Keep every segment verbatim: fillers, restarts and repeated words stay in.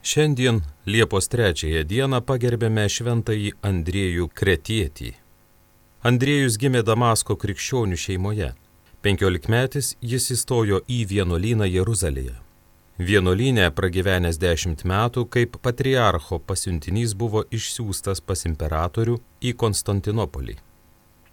Šiandien Liepos trečiąją dieną pagerbėme šventąjį Andriejų Kretietį. Andriejus gimė Damasko krikščionių šeimoje. Penkiolikmetis jis įstojo į vienuolyną Jeruzalėje. Vienuolyne pragyvenęs dešimt metų, kaip patriarcho pasiuntinys buvo išsiųstas pas imperatorių į Konstantinopolį.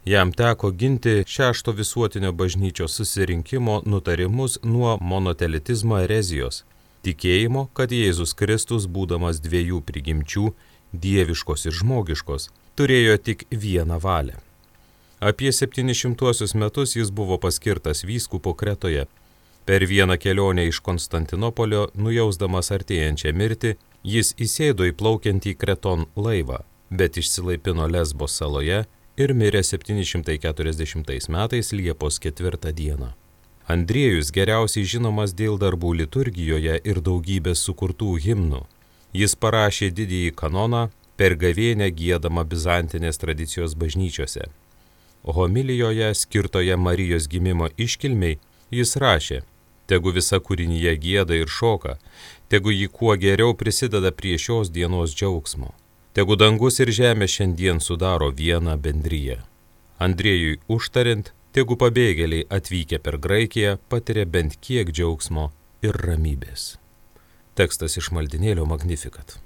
Jam teko ginti šešto visuotinio bažnyčios susirinkimo nutarimus nuo monotelitizmo erezijos, tikėjimo, kad Jėzus Kristus, būdamas dviejų prigimčių, dieviškos ir žmogiškos, turėjo tik vieną valią. Apie septynišimtuosius metus jis buvo paskirtas vyskupu Kretoje. Per vieną kelionę iš Konstantinopolio, nujausdamas artėjančią mirtį, jis įsėdo į plaukiantį Kreton laivą, bet išsilaipino Lesbos saloje ir mirė septyni šimtai keturiasdešimtais metais Liepos ketvirtą dieną. Andriejus geriausiai žinomas dėl darbų liturgijoje ir daugybės sukurtų himnų. Jis parašė didįjį kanoną per gavėnią giedamą bizantinės tradicijos bažnyčiose. Homilijoje, skirtoje Marijos gimimo iškilmei, jis rašė: tegu visa kūrinyje gieda ir šoka, tegu ji kuo geriau prisideda prie šios dienos džiaugsmo. Tegu dangus ir žemė šiandien sudaro vieną bendriją. Andriejui užtariant, tegu pabėgėliai atvykę per Graikiją patiria bent kiek džiaugsmo ir ramybės. Tekstas iš maldinėlio Magnificat.